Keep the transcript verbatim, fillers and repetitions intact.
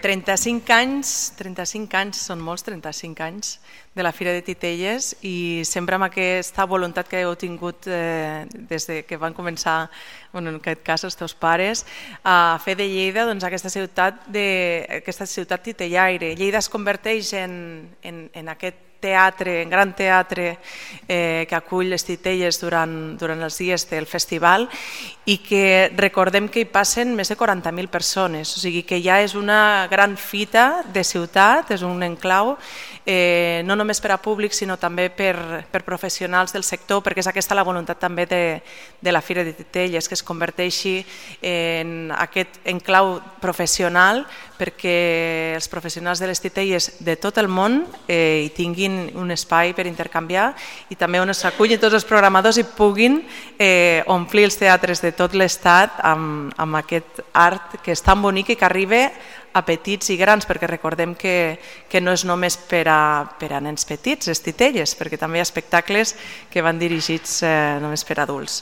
trenta-cinc anys, trenta-cinc anys, són molts trenta-cinc anys de la Fira de Titelles i sempre amb aquesta voluntat que heu tingut eh, des de que van començar, bueno, en aquest cas els teus pares, a fer de Lleida doncs, aquesta ciutat, de, aquesta ciutat titellaire. Lleida es converteix en, en, en aquest teatre, en gran teatre eh, que acull les titelles durant, durant els dies del festival i que recordem que hi passen més de quaranta mil persones, o sigui que ja és una gran fita de ciutat, és un enclau, eh, no només per a públic sinó també per, per professionals del sector, perquè és aquesta la voluntat també de, de la Fira de Titelles, que es converteixi en aquest enclau professional perquè els professionals de les titelles de tot el món eh, hi tinguin un espai per intercanviar i també on s'acullin tots els programadors i puguin eh, omplir els teatres de tot l'estat amb, amb aquest art que és tan bonic i que arriba a petits i grans, perquè recordem que, que no és només per a, per a nens petits, les titelles, perquè també hi ha espectacles que van dirigits eh, només per a adults.